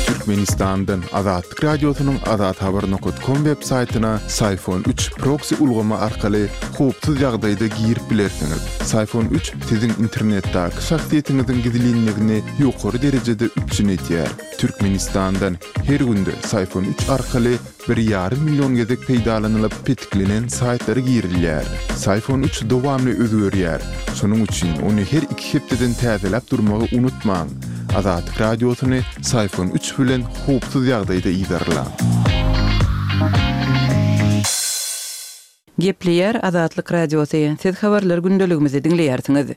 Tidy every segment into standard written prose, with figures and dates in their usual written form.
Türkmenistandan Azatlyk Radiosynyň azathabar nokat kom web saýtyna Syfon üç proksi ulgamy arkaly howpsuz ýagdaýda girip bilersiňiz. Syfon üç siziň internetdäki şahsyýetiňiziň gizlinligini ýokary derejede üpjün edýär. Türkmenistandan her günde Syfon üç arkaly bir ýarym million gezek peýdalanylyp petiklenen saýtlara girilýär. Syfon üç dowamly özgerýär. Şonuň üçin ony her iki hepdeden täzeläp durmagy unutmaň. Azatlyk Radiosyny Syfon üç bilen howpsuz ýagdaýda yzarlaň. Gepleýär Azatlyk Radiosy, Siz habarlar gündeligimizi diňleýärsiňiz.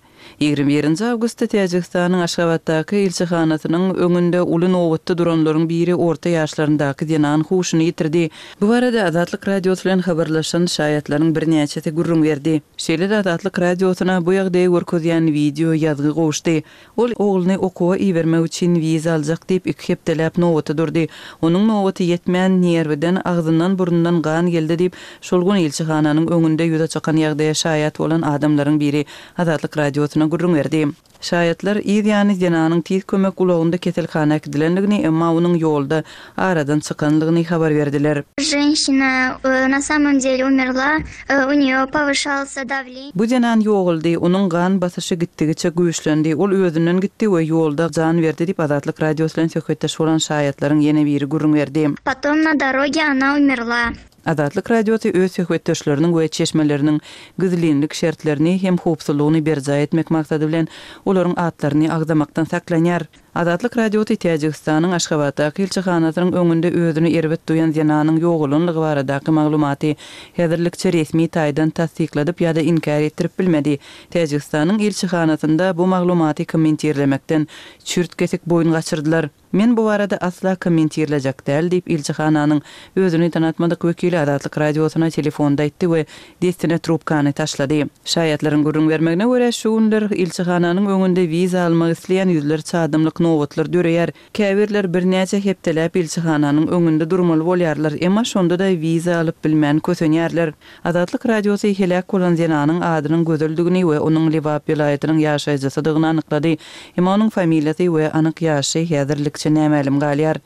21-nji awgustda Täjigistanyň Aşgabatdaky ilçihanasynyň öňünde uly nobatda duranlaryň biri orta ýaşlaryndaky zenan huşuny ýitirdi. Bu barada Azatlyk Radiosy bilen habarlaşan şaýatlaryň birnäçesi gürrüň berdi. Şeýle-de Azatlyk Radiosyna bu ýagdaýy görkezýän wideo ýazgy gowuşdy. Ol ogluny okuwa ibermek üçin wiza aljak diýip iki hepdeläp nobata durdy. Onuň nobaty ýetmän, nerwiden, agzyndan-burnundan gan geldi diýip, şol gün ilçihananyň öňünde ýüze çykan ýagdaýa şaýat bolan adamlaryň biri Azatlyk Radiosyna gürrüň berdi. Şaýatlar yz ýany zenanyň tiz kömek ulagynda keselhana äkidilendigini, emma onuň ýolda aradan çykanlygyny habar berdiler. Ženşina na samom dele umerla, u neýo powyşalsa dawleniýe. Bu zenan ýogaldy, onuň gan basyşy gitdigiçe güýçlendi, ol özünden gitdi we ýolda jan berdi diýip, Azatlyk Radiosy bilen söhbetdeş bolan şaýatlaryň ýene biri gürrüň berdi. Potom na doroge ona umerla. Azatlyk Radiosy öz söhbetdeşleriniň we çeşmeleriniň gizlinlik şertlerini hem howpsuzlygyny berjaý etmek maksady bilen, olaryň atlaryny agzamakdan saklanýar. Azatlyk Radiosy Täjigistanyň Aşgabatdaky ilçihanasynyň öňünde özüni erbet duýan zenanyň ýogalanlygy baradaky maglumaty häzirlikçe resmi taýdan tassykladyp ýa-da inkär etdirip bilmedi. Täjigistanyň ilçihanasynda bu maglumaty kommentirlemekden çürt-kesik boýun gaçyrdylar. Men bu barada asla kommentirlejek däl diýip, ilçihananyň özüni tanatmadyk wekili Azatlyk Radiosyna telefonda aýtdy we dessine trubkany taşlady. Şaýatlaryň gürrüň bermegine görä, şu günler ilçihananyň öňünde wiza almak isleýän ýüzlerçe adamlyk nobatlar döreýär. Käbirler birnäçe hepdeläp ilçihananyň öňünde durmaly bolýarlar, emma şonda-da wiza alyp bilmän kösenýärler. Azatlyk Radiosy heläk bolan zenanyň adynyň Gözeldigini we onuň Lebap welaýatynyň ýaşaýjysydygyny anyklady. Emma onuň familiýasy we anyk ýaşy häzirlikçe nämälim galýar.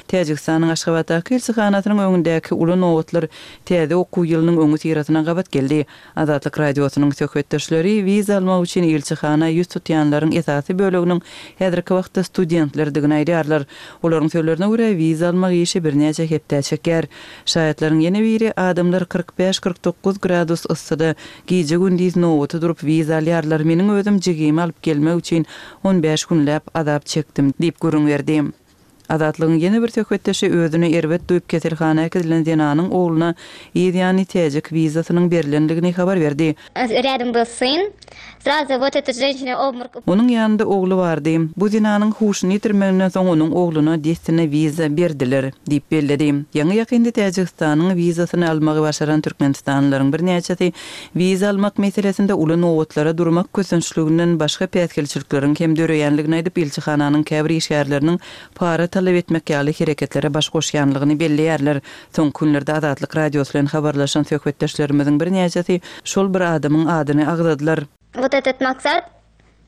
Täjigistanyň Aşgabatdaky ilçihanasynyň öňündäki uly nobatlar täze okuw ýylynyň öňüsyrasyna gabat geldi. Azatlyk Radiosynyň söhbetdeşleri wiza almak üçin ilçihana ýüz tutýanlaryň esasy böleginiň häzirki wagtda studentlerdigini aýdýarlar. Olaryň sözlerine görä, wiza almak işi birnäçe hepdä çekýär. Şaýatlaryň ýene biri, Adamlar 45, 49 gradus yssyda gije-gündiz nobata durup wiza alýarlar, meniň özüm jigimi alyp gelmek üçin on bäş günläp azap çekdim diýip gürrüň berdi. Azatlygyň ýene bir söhbetdeşi özüni erbet duýup keselhana äkidilen zenanyň ogluna yz ýany täjik wizasynyň berlendigini habar berdi. Rýadom byl syn. Srazu wot eta ženşina obmorok. Onuň ýanynda ogly bardy. Bu zenanyň huşuny ýitirmeginden soň onuň ogluna dessine wiza berdiler, diýip belledi. Ýaňy-ýakynda Täjigistanyň wizasyny almagy başaran türkmenistanlylaryň birnäçesi Wiza almak meselesinde uly nobatlara durmak kösençliginden başga päsgelçilikleriň hem döreýänligini aýdyp, ilçihananyň käbir işgärleriniň para talap etmek ýaly hereketlere baş goşýanlygyny belleýärler. Soňky günlerde Azatlyk Radiosy bilen habarlaşan söhbetdeşlerimiziň birnäçesi şol bir adamyň adyny agzadylar. Wot etot maksat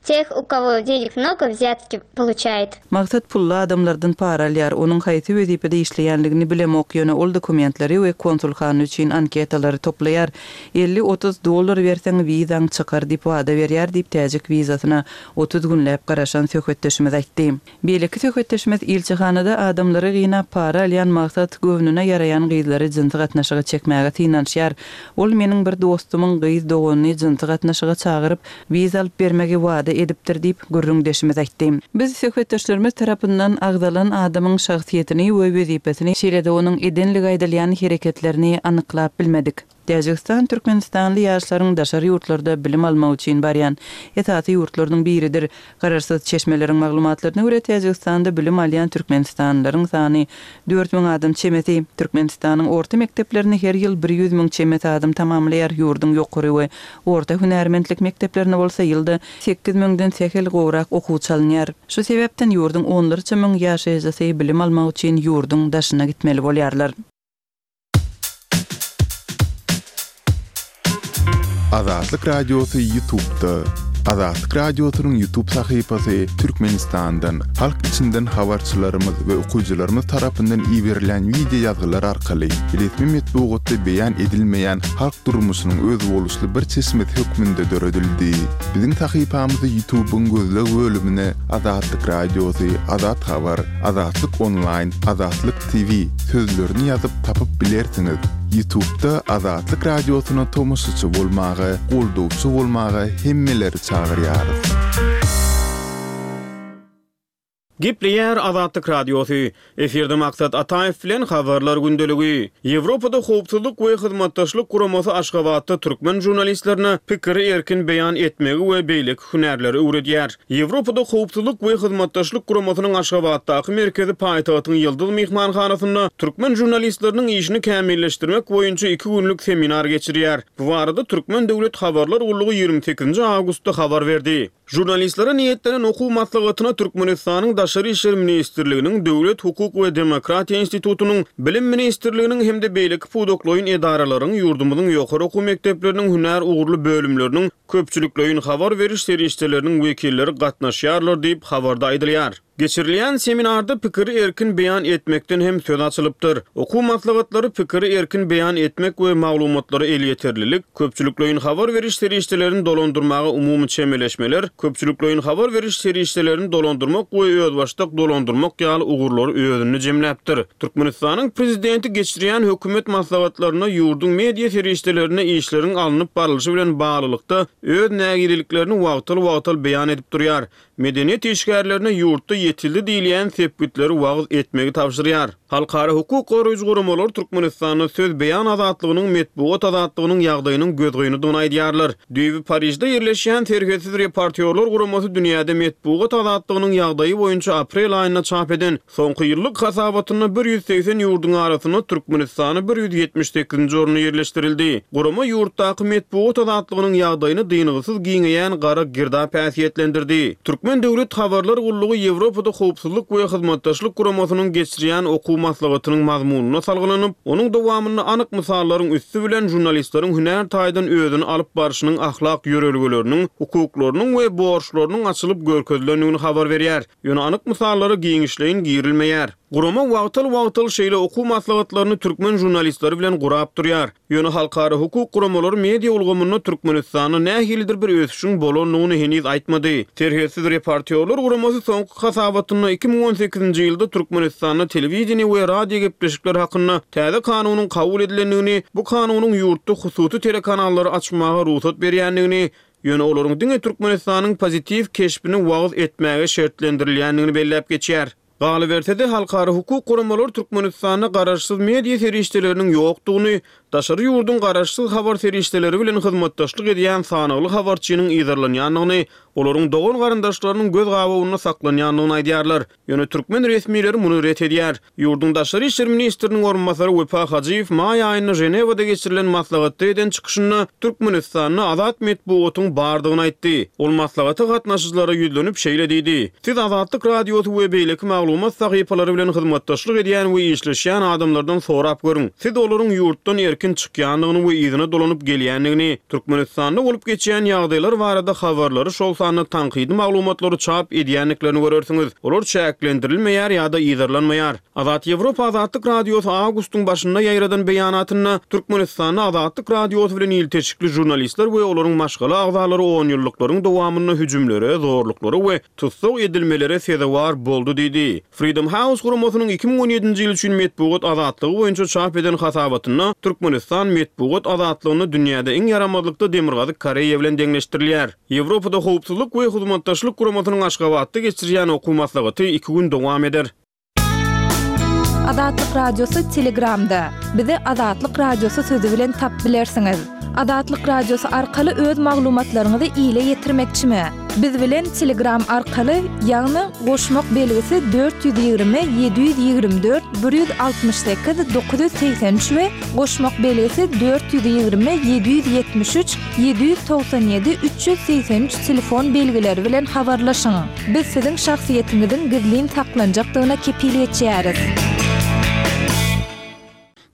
Teh u kowo denig mnogo wzýatki poluçaýet. Maksat pully adamlardan para alýar. Onuň haýsy wezipede işleýänligini bilemok, ýöne ol dokumentleri we konsulhana üçin anketalary toplaýar. 50, 30 dollar berseň wizaň çykar diýip wada berýär diýip täjik wizasyna 30 günläp garaşan söhbetdeşimiz aýtdy. Beýleki söhbetdeşimiz ilçihanada adamlary gynap para alýan Maksat göwnüne ýaraýan gyzlary jynsy gatnaşyga çekmäge synanyşýar. Ol meniň bir dostumyň gyz doganyny jynsy gatnaşyga çagyryp, wiza alyp bermegi wada edipdir diýip, gürrüňdeşimiz aýtdy. Biz söhbetdeşlerimiz tarapyndan agzalan adamyň şahsyýetini we wezipesini, şeýle-de onuň edenligi aýdylýan hereketlerini anyklap bilmedik. Täjigistan türkmenistanly ýaşlaryň daşary ýurtlarda bilim almak üçin barýan esasy ýurtlarynyň biridir. Garaşsyz çeşmeleriň maglumatlaryna görä, Täjigistanda bilim alýan türkmenistanlylaryň sany 4000 adam çemesi. Türkmenistanyň orta mekdeplerini her ýyl bir ýüz müň çemesi adam tamamlaýar, ýurduň ýokary we orta hünärmentlik mekdeplerine bolsa ýylda sekiz müňden sähel gowrak okuwçy alynýar. Şu sebäpden ýurduň onlarça müň ýaşaýjysy bilim almak üçin ýurduň daşyna gitmeli bolýarlar. Azatlyk Radiosy Ýutubda. Azatlyk Radiosynyň YouTube sahypasy Türkmenistandan, halk içinden habarçylarymyz we okyjylarymyz tarapyndan iberilýän wideo ýazgylar arkaly resmi metbugatda beýan edilmeýän halk durmuşynyň özboluşly bir çeşmesi hökmünde döredildi. Biziň sahypamyzy YouTube-yň gözleg bölümine Azatlyk Radiosy, Azat Habar, Azatlyk Onlaýn, Azatlyk TV sözlerini ýazyp tapyp bilersiňiz. Ýutubda Azatlyk Radiosyna tomaşaçy bolmaga, goldawçy bolmaga hemmeleri çagyrýarys. Gepleýär Azatlyk Radiosy. Efirde Maksat Ataýew bilen Habarlar gündeligi. Ýewropada Howpsuzlyk we Hyzmatdaşlyk Guramasy Aşgabatda türkmen žurnalistlerine pikiri erkin beýan etmegi we beýleki hünärleri öwredýär. Ýewropada Howpsuzlyk we Hyzmatdaşlyk Guramasynyň Aşgabatdaky merkezi paýtagtyň Ýyldyz myhmanhanasynda türkmen žurnalistleriniň işini kämilleşdirmek boýunça iki günlük seminar geçirýär. Bu barada Türkmen döwlet habarlar gullugy 28 awgustda habar berdi. Žurnalistlere niýetlenen okuw maslahatyna Türkmenistanyň Daşary işler ministrliginiň, Döwlet, hukuk we demokratiýa institutynyň, Bilim ministrliginiň hem-de beýleki pudaklaýyn edaralaryň, ýurdumyzyň ýokary okuw mekdepleriniň hünär ugurly bölümleriniň köpçülikleýin habar beriş serişdeleriniň wekilleri gatnaşýarlar diýip, habarda aýdylýar. Geçirilýän seminarda pikiri erkin beýan etmekden hem söz açylypdyr. Okuw maslahatlary pikiri erkin beýan etmek we maglumatlara elýeterlilik, köpçülikleýin habar beriş serişdelerini dolandyrmaga umumy çemeleşmeler, köpçülikleýin habar beriş serişdelerini dolandyrmak we özbaşdak dolandyrmak ýaly ugurlary özünde jemläpdir. Türkmenistanyň Prezidenti geçirýän hökümet maslahatlarynda ýurduň media serişdelerinde işleriň alnyp barlyşy bilen baglylykda öz nägileliklerini wagtal-wagtal beýan edip durýar. Medeniýet işgärlerine ýurtda ýetildi diýilýän sepgitleri wagyz etmegi tabşyrýar. Halkara hukuk goraýjy guramalar Türkmenistanda söz beýan azatlygynyň, metbugat azatlygynyň ýagdaýynyň gözgynydygyny aýdýarlar. Düýbi Parižde ýerleşýän Serhetsiz reportýorlar guramasy dünýäde metbugat azatlygynyň ýagdaýy boýunça aprel aýynda çap eden Soňky ýyllyk hasabatynda 180 ýurduň arasynda Türkmenistany 178-nji orunda ýerleşdirildi. Gurama ýurtdaky metbugat azatlygynyň ýagdaýyny dyngysyz giňeýän gara girdap häsiýetlendirdi. Türkmen döwlet habarlar gullugy Ýewropada Howpsuzlyk we Hyzmatdaşlyk Guramasynyň geçirýän okuw maslahatynyň mazmunyna salgylanyp, onuň dowamynda anyk mysallaryň üsti bilen žurnalistleriň hünär taýdan özüni alyp barşynyň ahlak ýörelgeleriniň, hukuklarynyň we borçlarynyň açylyp görkezilendigini habar berýär. Ýöne anyk mysallara giňişleýin girilmeýär. Gurama wagtal-wagtal şeýle okuw maslahatlaryny türkmen žurnalistleri bilen gurap durýar. Ýöne halkara hukuk guramalary media ulgamynda Türkmenistanda nähilidir bir ösüşiň bolandygyny heniz aýtmady. Serhetsiz reportýorlar guramasy soňky hasabatynda 2018-nji ýylda Türkmenistanda telewideniýe we radio gepleşikler hakynda täze kanunyň kabul edilendigini, bu kanunyň ýurtda hususy telekanallary açmaga rugsat berýändigini, Ýöne olaryň diňe Türkmenistanyň pozitiw keşbini wagyz etmäge şertlendirilýändigini belläp geçýär. Galyberse-de, halkara hukuk guramalary Türkmenistanda garaşsyz media serişdeleriniň ýokdugyny, daşary ýurduň garaşsyz habar serişdeleri bilen hyzmatdaşlyk edýän sanagly habarçynyň yzarlanýandygyny, olaryň dogan-garyndaşlarynyň göz gabawynda saklanýandygyny aýdýarlar. Ýöne türkmen resmileri muny ret edýär. Ýurduň daşary işler ministriniň orunbasary Wepa Hajyýew maý aýynda Ženewada geçirilen maslahatda eden çykyşynda Türkmenistanda azat metbugatyň bardygyny aýtdy. Ol maslahata gatnaşyjylara ýüzlenip şeýle diýdi, Siz Azatlyk Radiosy we beýleki maglumat sahypalary bilen hyzmatdaşlyk edýän we işleşýän adamlardan sorap görüň. Siz olaryň ýurtdan erkin çykýandygyny we yzyna dolanyp gelýändigini, Türkmenistanda bolup geçýän ýagdaýlar barada habarlary, şol sanda tankydy maglumatlary çap edýändiklerini görersiňiz. Olar çäklendirilmeýär ýa-da yzarlanmaýar. Azat Ýewropa Azatlyk Radiosy awgustyň başynda ýaýradan beýanatynda, Türkmenistanda Azatlyk Radiosy bilen ilteşikli žurnalistler we olaryň maşgala agzalary onýyllyklaryň dowamynda hüjümlere, zorluklara we tussag edilmelere sezewar boldy diýdi. Freedom House guramasynyň 2017-nji ýyl üçin metbugat azatlygy boýunça çap eden hasabatynda Türkmenistan metbugat azatlygynda dünýäde iň ýaramazlykda Demirgazyk Koreýa bilen deňleşdirilýär. Ýewropada Howpsuzlyk we Hyzmatdaşlyk Guramasynyň Aşgabatda geçirýän okuw maslahaty iki gün dowam eder. Azatlyk Radiosy Telegramda. Bizi Azatlyk Radiosy sözi bilen tapyp bilersiňiz. Azatlyk Radiosy arkaly öz maglumatlaryňyzy ile ýetirmekçimi? Biz bilen Telegram arkaly, ýagny goşmak belgisi 420 724 168 983 we goşmak belgisi 420 773 797 383 telefon belgileri bilen habarlaşyň. Biz siziň şahsyýetiňiziň gizlin saklanjakdygyna kepil geçýäris.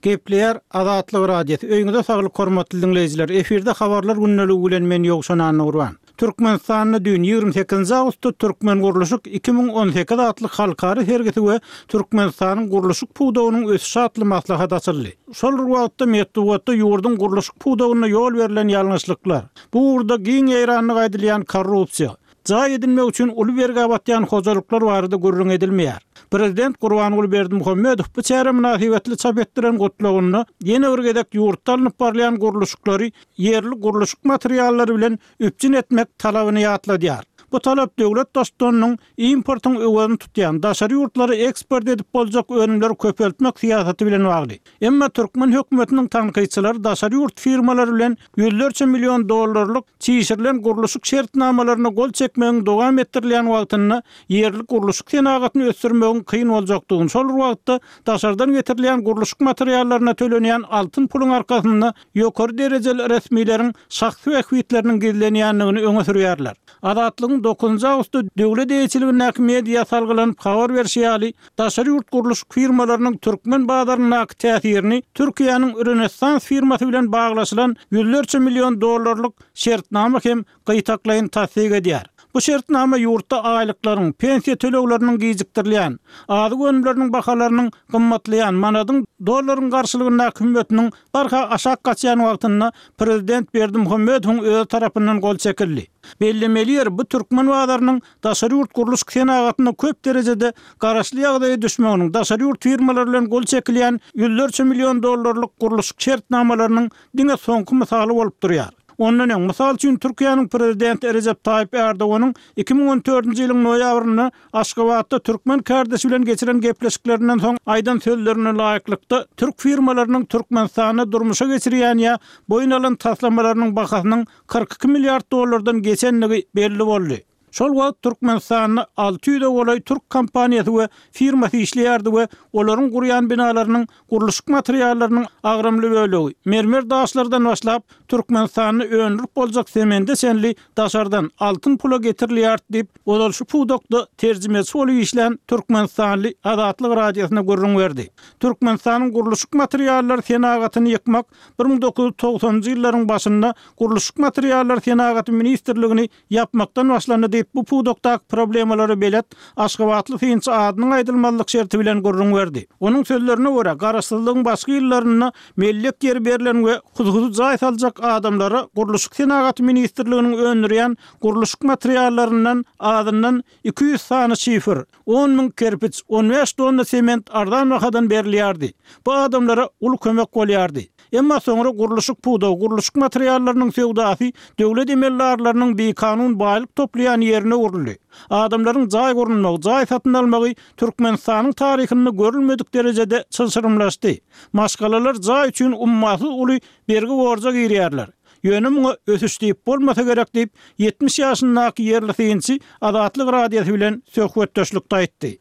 Gepleýär Azatlyk Radiosy. Öýüňize saglyk hormatly diňleýjiler. Efirde habarlar gündeligi bilen men Ýowşan Annagurban. Türkmenistanda düýn, 28 awgustda Türkmengurluşyk 2018 atly halkara sergisi we Türkmenistanyň gurluşyk pudagynyň ösüşi atly maslahat açyldy. Şol bir wagtda, metbugatda ýurduň gurluşyk pudagynda ýol berlen ýalňyşlyklar, bu ugurda giň ýaýrandygy aýdylýan korrupsiýa, jaý edinmek üçin uly bergä batýan hojalyklar barada gürrüň edilmeýär. Prezident Gurbanguly Berdimuhamedow bu çäre mynasybetli çap etdiren gutlagynda ýene bir gezek ýurtda alnyp barylýan gurluşyklary ýerli gurluşyk materiallary bilen üpjün etmek talabyny ýatladýar. Bu talap döwlet Baştutanynyň importyň öwezini tutýan, daşary ýurtlara eksport edip boljak önümleri köpeltmek syýasaty bilen bagly. Emma türkmen hökümetiniň tankytçylary daşary ýurt firmalary bilen ýüzlerçe million dollarlyk çişirilen gurluşyk şertnamalaryna gol çekmegiň dowam etdirilýän wagtynda ýerli gurluşyk senagatyny ösdürmegiň kyn boljakdygyny, şol bir wagtda daşardan getirilýän gurluşyk materiallaryna tölenýän altyn puluň arkasynda ýokary derejeli resmileriň şahsy bähbitleriniň gizlenýändigini öňe sürýärler. Azatlygyň dokuzynjy awgustda döwlet eýeçiligindäki media salgylanyp habar berşi ýaly, daşary ýurt gurluşyk firmalarynyň türkmen bazaryndaky täsirini Türkiýäniň Rönesans firmasy bilen baglaşylan ýüzlerçe million dollarlyk şertnama hem gytaklaýyn tassyk edýär. Bu şertnama ýurtda aýlyklaryň, pensiýa tölegleriniň gijikdirilýän, azyk önümleriniň bahalarynyň gymmatlaýan, manadyň dollaryň garşylygyndaky hümmetiniň barha aşak gaçýan wagtynda prezident Berdimuhamedowyň özi tarapyndan gol çekildi. Bellemeli ýeri, bu türkmen bazarynyň daşary ýurt gurluşyk senagatynda köp derejede garaşly ýagdaýa düşmeginiň, daşary ýurt firmalary bilen gol çekilýän ýüzlerçe million dollarlyk gurluşyk şertnamalarynyň diňe soňky mysaly bolup durýar. Ondan öň, mysal üçin, Türkiýäniň prezidenti Rejep Taýyp Erdoganyň 2014-nji ýylyň noýabrynda Aşgabatda türkmen kärdeşi bilen geçiren gepleşiklerinden soň aýdan sözlerine laýyklykda, türk firmalarynyň Türkmenistanda durmuşa geçirýän ýa boýun alan taslamalarynyň bahasynyň 42 milliard dollardan geçendigi belli boldy. Şol wagt Türkmenistanda 600-e golaý türk kompaniýasy we firmasy işleýärdi we olaryň gurýan binalarynyň gurluşyk materiallarynyň agramly bölegi, mermer daşlardan başlap, Türkmenistanda öndürip boljak semende çenli daşardan, altyn pula getirilýärdi diýip, ozal şu pudakda terjimeçi bolup işlän türkmenistanly Azatlyk Radiosyna gürrüň berdi. Türkmenistanyň gurluşyk materiallary senagatyny ýykmak 1990-njy ýyllaryň başynda Gurluşyk materiallary senagaty ministrligini ýapmakdan başlandy diýip, bu pudakdaky problemalara belet aşgabatly synçy adynyň aýdylmazlyk şerti bilen gürrüň berdi. Onuň sözlerine görä, garaşsyzlygyň başky ýyllarynda mellek ýeri berlen we hususy jaý saljak adamlara Gurluşyk senagaty ministrliginiň öndürýän gurluşyk materiallaryndan azyndan 200 sany şifer, on müň kerpiç, on bäş tonna sement arzan bahadan berilýärdi. Bu adamlara uly kömek bolýardy. Emma soňra gurluşyk pudagy, gurluşyk materiallarynyň söwdasy döwlet emeldarlarynyň bikanun baýlyk toplaýan ýerine öwrüldi. Adamlaryň jaý gurunmagy, jaý satyn almagy Türkmenistanyň taryhynda görülmedik derejede çylşyrymlaşdy. Maşgalalar jaý üçin ummasyz uly bergi-borja girýärler. Ýöne muňa ösüş diýip bolmasa gerek diýip, 70 ýaşyndaky ýerli synçy Azatlyk Radiosy bilen söhbetdeşlikde aýtdy.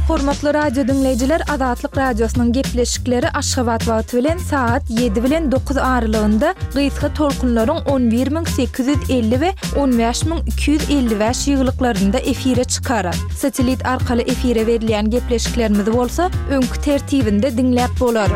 Hormatly radio diňleýjiler, Azatlyk Radiosynyň gepleşikleri Aşgabat wagty bilen sagat 7 bilen 9 aralygynda gysga tolkunlaryň 11850 we 15255 ýygylyklarynda efire çykar. Satellit arkaly efire berilýän gepleşiklerimizi bolsa öňki tertibinde diňläp bolar.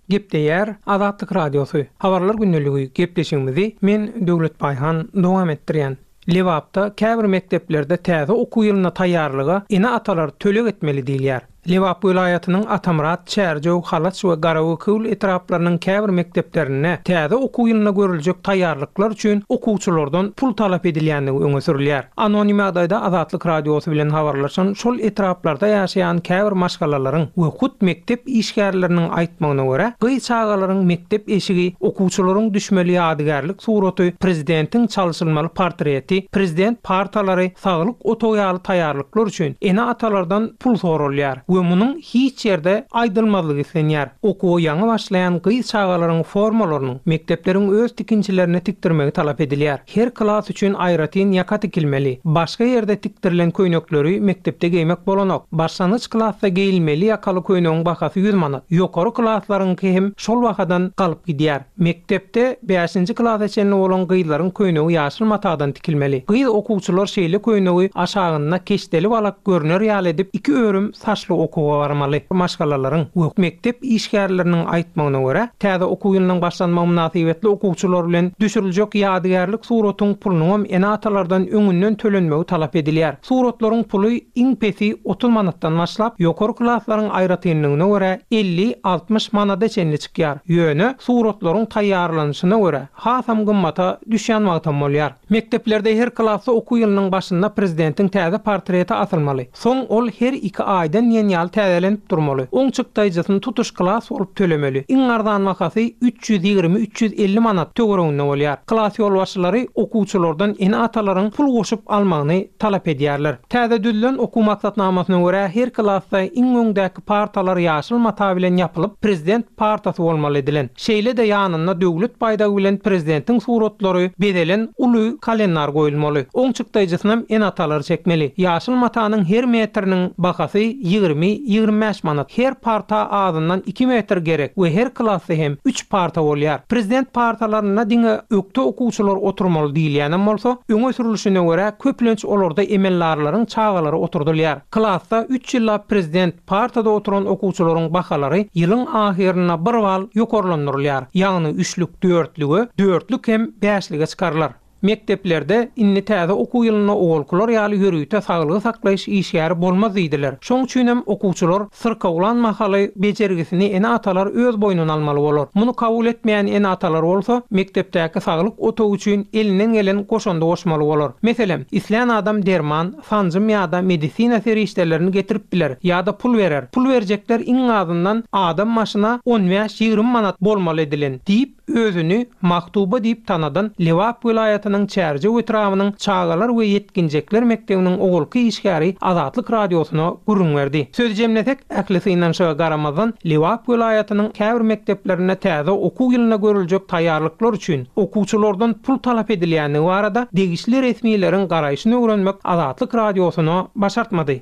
Gepleýär Azatlyk Radiosy, Habarlar gündeligi gepleşigimizi men Döwlet Baýhan dowam etdirýän. Lebapda käbir mekdeplerde täze okuw ýylyna taýýarlyga ene-atalar töleg etmeli diýilýär. Lebap welaýatynyň Atamyrat, Çärjew, Halaç we Garabekewül etraplarynyň käbir mekdeplerinde täze okuw ýylyna görüljek taýýarlyklar üçin okuwçylardan pul talap edilýändigi öňe sürülýär. Anonim ýagdaýda Azatlyk Radiosy bilen habarlaşan şol etraplarda ýaşaýan käbir maşgalalaryň we hut mekdep işgärleriniň aýtmagyna görä, gyz çagalaryň mekdep eşigi, okuwçylaryň düşmeli ýadygärlik suraty, prezidentiň çalşylmaly portreti, prezident partalary, saglyk otagy ýaly taýýarlyklar üçin ene-atalardan pul soralýar we munuň hiç ýerde aýdylmazlygy islenýär. Okuwa ýaňy başlaýan gyz çagalaryň formalarynyň mekdepleriň öz tikinçilerine tikdirmegi talap edilýär. Her klas üçin aýratyn ýaka tikilmeli. Başga ýerde tikdirilen köýnekleri mekdepde geýmek bolanok. Başlangyç klasda geýilmeli ýakaly köýnegiň bahasy ýüz manat. Ýokary klaslaryňky hem şol bahadan galyp gidýär. Mekdepde bäşinji klasa çenli bolan gyzlaryň köýnegi ýaşyl matadan tikilmeli. Gyz okuwçylar şeýle köýnegi aşagynda keşdeli balak görner ýaly edip iki örüm saçly. okuwa barmaly. Maşgalalaryň we mekdep işgärleriniň aýtmagyna görä, täze okuw ýylynyň başlanmagy mynasybetli okuwçylar bilen düşüriljek ýadygärlik suratyň pulunyňam ene-atalardan öňünden tölenmegi talap edilýär. Suratlaryň puly iň pesi 30 manatdan başlap, ýokary klaslaryň aýratynlygyna görä 50, 60 manada çenli çykýar. Ýöne, suratlaryň taýýarlanyşyna görä, hasam gymmata düşýän wagtam bolýar. Mekdeplerde her klasda okuw ýylynyň başynda prezidentiň täze portreti asylmaly. Soň ol her iki aýdan diýen ýaly täzelenip durmaly. Oň çykdaýjysyny tutuş klas bolup tölemeli. Iň arzan bahasy 320, 350 manat töwereginde bolýar. Klas ýolbaşçylary okuwçylardan ene-atalaryň pul goşup almagyny talap edýärler. Täze düzülen okuw maksatnamasyna görä her klasda iň öňdäki partalar ýaşyl mata bilen ýapylyp, prezident partasy bolmaly edilen. Şeýle-de ýanynda döwlet baýdagy bilen prezidentiň suratlary bezelen uly kalendar goýulmaly. Oň çykdaýjysynam ene-atalar çekmeli. Ýaşyl matanyň her metriniň bahasy 20, 25 manat. Her parta azyndan iki metr gerek we her klasda hem üç parta bolýar. Prezident partalarynda diňe ökde okuwçylar oturmaly diýilýänem bolsa, öňe sürlüşine görä köplenç olarda emeldarlaryň çagalary oturdylýar. Klasda üç ýyllap prezident partada oturan okuwçylaryň bahalary ýylyň ahyrynda bir bal ýokarlandyrylýar, ýagny üçlük dörtlüge, dörtlük hem bäşlige çykarylar. Mekdeplerde indi täze okuw ýylynda owalkylar ýaly ýörite saglygy saklaýyş işgäri bolmaz diýdiler. Şoň üçinem okuwçylar syrkawlan mahaly bejergisini ene-atalar öz boýnuna almaly bolar. Muny kabul etmeýän ene-atalar bolsa mekdepdäki saglyk otagy üçin elinden gelen goşandy goşmaly bolar. Meselem, islän adam derman, sanjym ýa-da medisina serişdelerini getirip biler ýa-da pul berer. Pul berjekler iň azyndan adam başyna on bäş-ýigrimi manat bolmaly edilen, diýip, özüni Mahtuba diýip tanadan Lebap welaýatynyň Çärjew etrabynyň çagalar we ýetginjekler mekdebiniň owalky işgäri Azatlyk Radiosyna gürrüň berdi. Sözi jemlesek, ähli synanyşyga garamazdan, Lebap welaýatynyň käbir mekdeplerinde täze okuw ýylyna görüljek taýýarlyklar üçin okuwçylardan pul talap edilýändigi barada degişli resmileriň garaýşyny öwrenmek Azatlyk Radiosyna başartmady.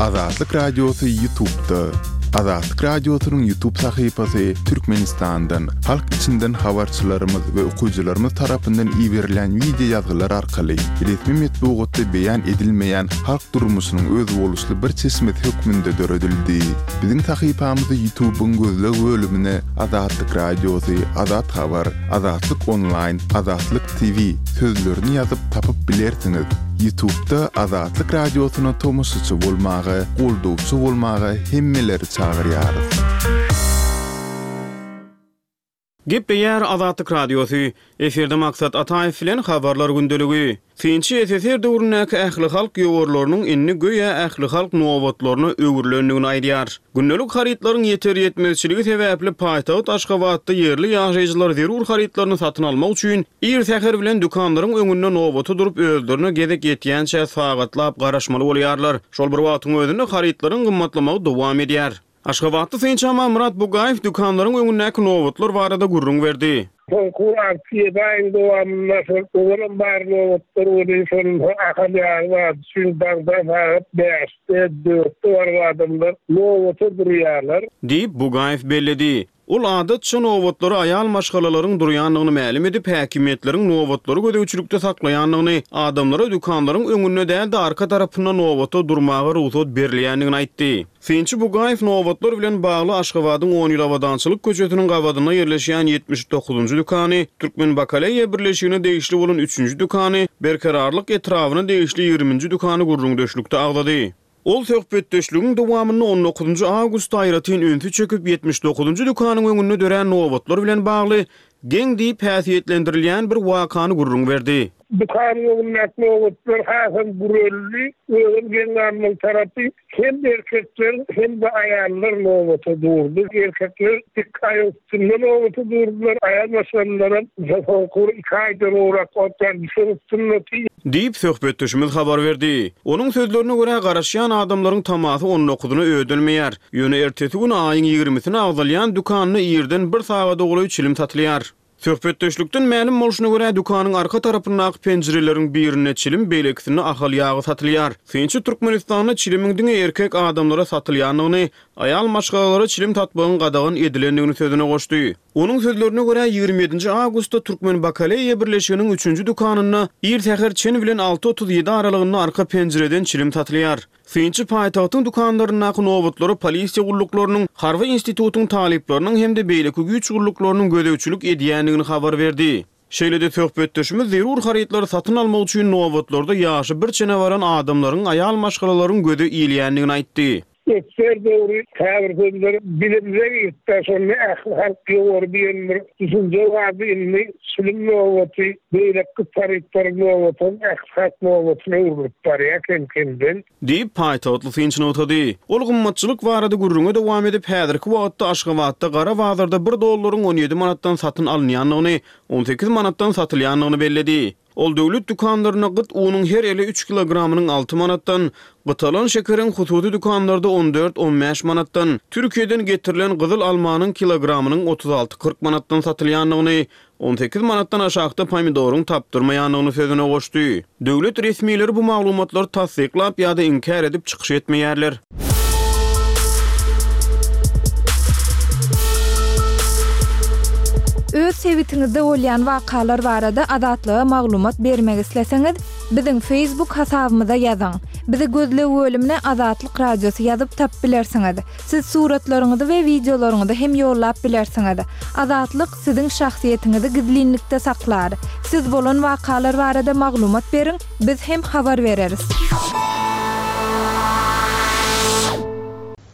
Azatlyk Radiosy Ýutubda. Azatlyk Radiosynyň Ýutub sahypasy Türkmenistandan, halk içinden habarçylarymyz we okyjylarymyz tarapyndan iberilýän wideo ýazgylar arkaly resmi metbugatda beýan edilmeýän halk durmuşynyň özboluşly bir çeşmesi hökmünde döredildi. Biziň sahypamyzy Ýutubyň gözleg bölümine Azatlyk Radiosy, Azat Habar, Azatlyk Onlaýn, Azatlyk TV sözlerini ýazyp tapyp bilersiňiz. Ýutubda Azatlyk Radiosyna tomaşaçy bolmaga, goldawçy bolmaga hemmeleri çagyrýarys. Gepleýär Azatlyk Radiosy, Efirde Maksat Ataýew bilen Habarlar gündeligi. Synçy SSR döwründäki ählihalk ýowarlarynyň indi göýä ählihalk nobatlaryna öwrülendigini aýdýar. Gündelik harytlaryň ýeter-ýetmezçiligi sebäpli paýtagt Aşgabatda ýerli ýaşaýjylar zerur harytlaryny satyn almak üçin ir säher bilen dükanlaryň öňünde nobata durup özlerine gezek ýetýänçä sagatlap garaşmaly bolýarlar. Şol bir wagtyň özünde harytlaryň gymmatlamagy dowam edýär. Aşgabatly synçy Amanmyrat Bugaýew dükanlaryň öňündäki nobatlar barada gürrüň berdi. Soňky alty-ýedi aýyň dowamynda şol ozalam bar nobatlar welin şol Ahal ýagy bar üçin daňdan sagat bäşde, dörtde baryp adamlar nobata durýarlar. Diýip, Bugaýew belledi. Ol adatça nobatlara aýal maşgalalaryň durýandygyny mälim edip, häkimiýetleriň nobatlary gözegçilikde saklaýandygyny, adamlara dükanlaryň öňünde däl-de, arka tarapynda nobata durmaga rugsat berilýändigini aýtdy. Synçy Bugaýew nobatlar bilen bagly Aşgabadyň On ýyl abadançylyk köçesiniň gabadynda ýerleşýän 79-njy dükany, Türkmenbakaleýa birleşigine degişli bolan üçünji dükany, Berkararlyk etrabyna degişli ýigriminji dükany gürrüňdeşlikde agzady. Ol söhbetdeşligiň dowamynda on dokuzynjy awgustda aýratyn ünsi çekip, 79-njy dükanyň öňünde dörän nobatlar bilen bagly geň diýip häsiýetlendirilýän bir wakany gürrüň berdi. Dükanyň öňündäki nobatlar hasam güreldi. Özem geň galmaly tarapy, hem erkekler, hem-de aýallar nobata durdy. Erkekler dik aýak üstünde nobata durdular, aýal maşgalalaram soňky bir iki aýdan gowrak wagtdan düşek üstündedi. Diýip, söhbetdeşimiz habar berdi. Onuň sözlerine görä, garaşýan adamlaryň tamasy on dokuzyna ödelmeýär. Ýöne ertesi gün aýyň ýigrimisine agzalýan dükanda irden bir sagada golaý çilim satylýar. Söhbetdeşlikden mälim bolşuna görä, dükanyň arka tarapyndaky penjireleriň birinde çilim, beýlekisinde ahal ýagy satylýar. Synçy Türkmenistanda çilimiň diňe erkek adamlara satylýandygyny, Aýal maşgalalara çilim satmagyň gadagan edilendigini sözüne goşdy. Onuň sözlerine görä, 27 nji awgustda Türkmen bakaleýa birleşiginiň üçünji dükanynda ir säher çen bilen 6.37 aralygynda arka penjireden çilim satylýar. Synçy paýtagtyň dükanlaryndaky nobatlara polisiýa gulluklarynyň, harby institutyň talyplarynyň hem-de beýleki güýç gulluklarynyň gözegçilik edýändigini habar berdi. Şeýle-de söhbetdeşimiz zerur harytlary satyn almak üçin nobatlarda ýaşy bir çene baran adamlaryň, aýal maşgalalaryň göze ilýändigini aýtdy. Esger döwri käbir sözler dilimize giripdi, şonda ähli halk ýowary diýen bir düşünje bardy, indi çilim nobaty, beýleki harytlaryň nobatam ähli halk nobatyna öwrülip barýar kem-kemden. Diýip, paýtagtly synçy nygtady. Ol gymmatçylyk barada gürrüňe dowam edip, häzirki wagtda Aşgabatda gara bazarda bir dollaryň 17 manatdan satyn alynýandygyny, 18 manatdan satylýandygyny belledi. Ol döwlet dükanlarynda gyt unuň her ele üç kilogramynyň alty manatdan, gytalan şekeriň hususy dükanlarda on dört, on bäş manatdan, Türkiýeden getirilen gyzyl almanyň kilogramynyň 36-40 manatdan satylýandygyny, 18 manatdan aşakda pomidoryň tapdyrmaýandygyny sözüne goşdy. Döwlet resmileri bu maglumatlary tassyklap ýa-da inkär edip çykyş etmeýärler. Öz sebitiňizde bolýan wakalar barada Azatlyga maglumat bermek isleseňiz, biziň Facebook hasabymyza ýazyň. Bizi gözleg bölümine Azatlyk Radiosy ýazyp tapyp bilersiňiz. Siz suratlaryňyzy we wideolaryňyzy hem ýollap bilersiňiz. Azatlyk siziň şahsyýetiňizi gizlinlikde saklar. Siz bolan wakalar barada maglumat beriň, biz hem habar bereris.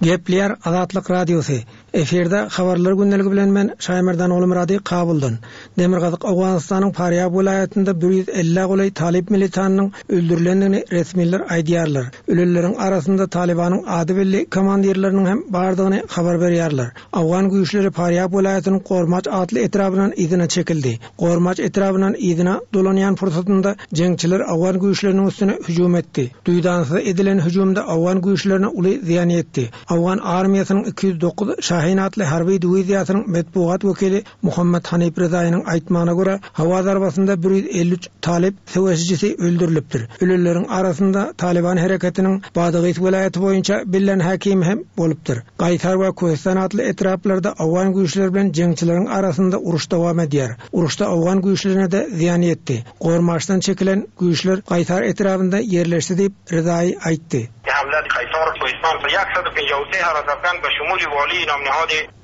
Gepleýär Azatlyk Radiosy. Efirde Habarlar gündeligi bilen men Şaýmerdan Ogulmyrady Kabuldan. Demirgazyk Owganystanyň Farýab welaýatynda bir ýüz ellä golaý talyp militanynyň öldürilendigini resmiler aýdýarlar. Ölenleriň arasynda Talybanyň ady belli komandirleriniň hem bardygyny habar berýärler. Owgan güýçleri Farýab welaýatynyň Gormaç atly etrabyndan yzyna çekildi. Gormaç etrabyndan yzyna dolanýan pursatynda jeňçiler owgan güýçleriniň üstüne hüjüm etdi. Duýdansyz edilen hüjümde owgan güýçlerine uly zyýan ýetdi. Owgan armiýasynyň 209 Şahin atly harby diwiziýasynyň metbugat wekili Muhammet Hanif Rezaýynyň aýtmagyna görä, howa zarbasynda 153 talyp söweşijisi öldürilipdir. Ölenleriň arasynda Talyban hereketiniň Badagys welaýaty boýunça bellän häkimi hem bolupdyr. Gaýsar we Köhistan atly etraplarda owgan güýçleri bilen jeňçileriň arasynda uruş dowam edýär. Uruşda owgan güýçlerine-de zyýan ýetdi. Gormaşdan çekilen güýçler Gaýsar etrabynda ýerleşdi diýip, Rezaýy aýtdy.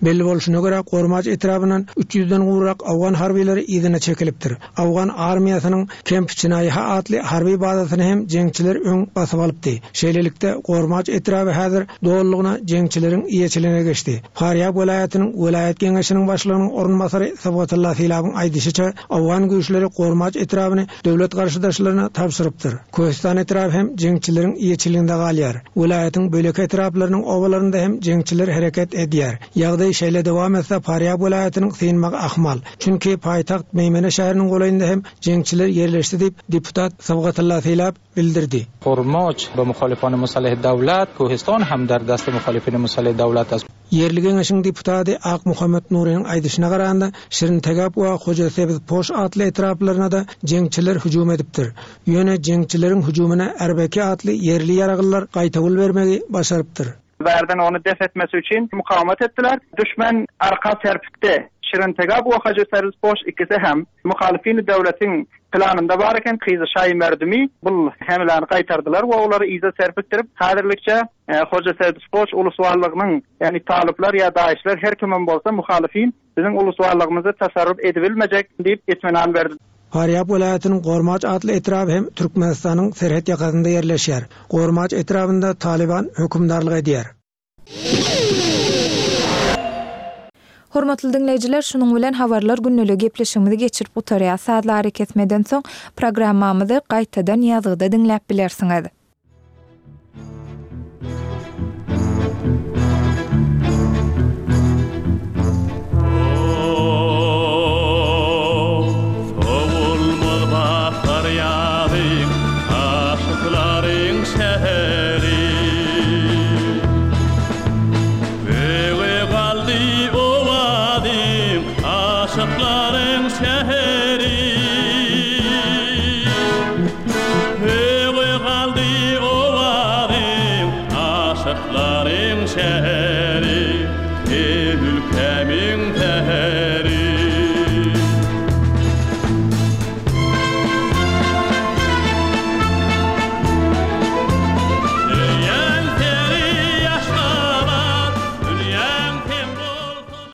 Belli bolşuna görä, Gormaç etrabyndan üç ýüzden gowrak owgan harbylary yzyna çekilipdir. Owgan armiýasynyň Kemp Çinaýha atly harby bazasyny hem jeňçiler öň basyp alypdy. Şeýlelikde, Gormaç etraby häzir dolulygyna jeňçileriň eýeçiligine geçdi. Farýab welaýatynyň welaýat geňeşiniň başlygynyň orunbasary Sybgatulla Silabyň aýdyşyça, owgan güýçleri Gormaç etrabyny döwlet garşydaşlaryna tabşyrypdyr. Köhistan etraby hem jeňçileriň eýeçiliginde galýar. Welaýatyň beýleki etraplarynyň obalarynda hem jeňçiler hereket edýär. Ýagdaý şeýle dowam etse, Farýab welaýatynyň synmagy ahmal. Çünki paýtagt Meýmene şäheriniň golaýynda hem jeňçiler ýerleşdi diýip, deputat Sybgatulla Sylap bildirdi. Hormoç be muhalifany musaleh dawlat, Köhistan hem der dast muhalifini musaleh dawlat ast. Ýerli geňeşiň deputady Akmuhammet Nurynyň aýdyşyna garanda, Şirintegap we Hojasebzpoş atly etraplaryna-da jeňçiler hüjüm edipdir. Ýöne jeňçileriň hüjümine Erbeki atly ýerli ýaraglylar gaýtawul bermegi başarypdyr. Bärden ony def etmesi üçin mukawamat etdiler. Düşmen arka serpikdi. Şirintegap we Hajyserzpoş ikisi hem muhalyfini döwletiň planynda bar eken. Kyzy şaýy merdümi bul hemläni gaýtardylar we olary yza serpikdirip, häzirlikçe Hojasebzpoş ulusbarlygynyň, ýagny talyplar ýa daişler her kimem bolsa muhalyfin Biziň ulusbarlygymyzy tasarruf edibilmejek diýip itminan berdi. Farýab welaýatynyň Gormaç atly etraby hem Türkmenistanyň serhet ýakasynda ýerleşýär. Gormaç etrabynda Talyban hökümdarlyk edýär. Hormatly diňleýjiler, şunuň bilen Habarlar gündeligi gepleşigimizi geçirip gutarýas. Sazly arakesmeden soň programmamyzy gaýtadan ýazgyda diňläp bilersiňiz. Sowulmaz bahar ýazy, aşyklaryň şäheri. Öýe galdy owazym, aşyklaryň şäheri. Öýe galdy. Älemiň.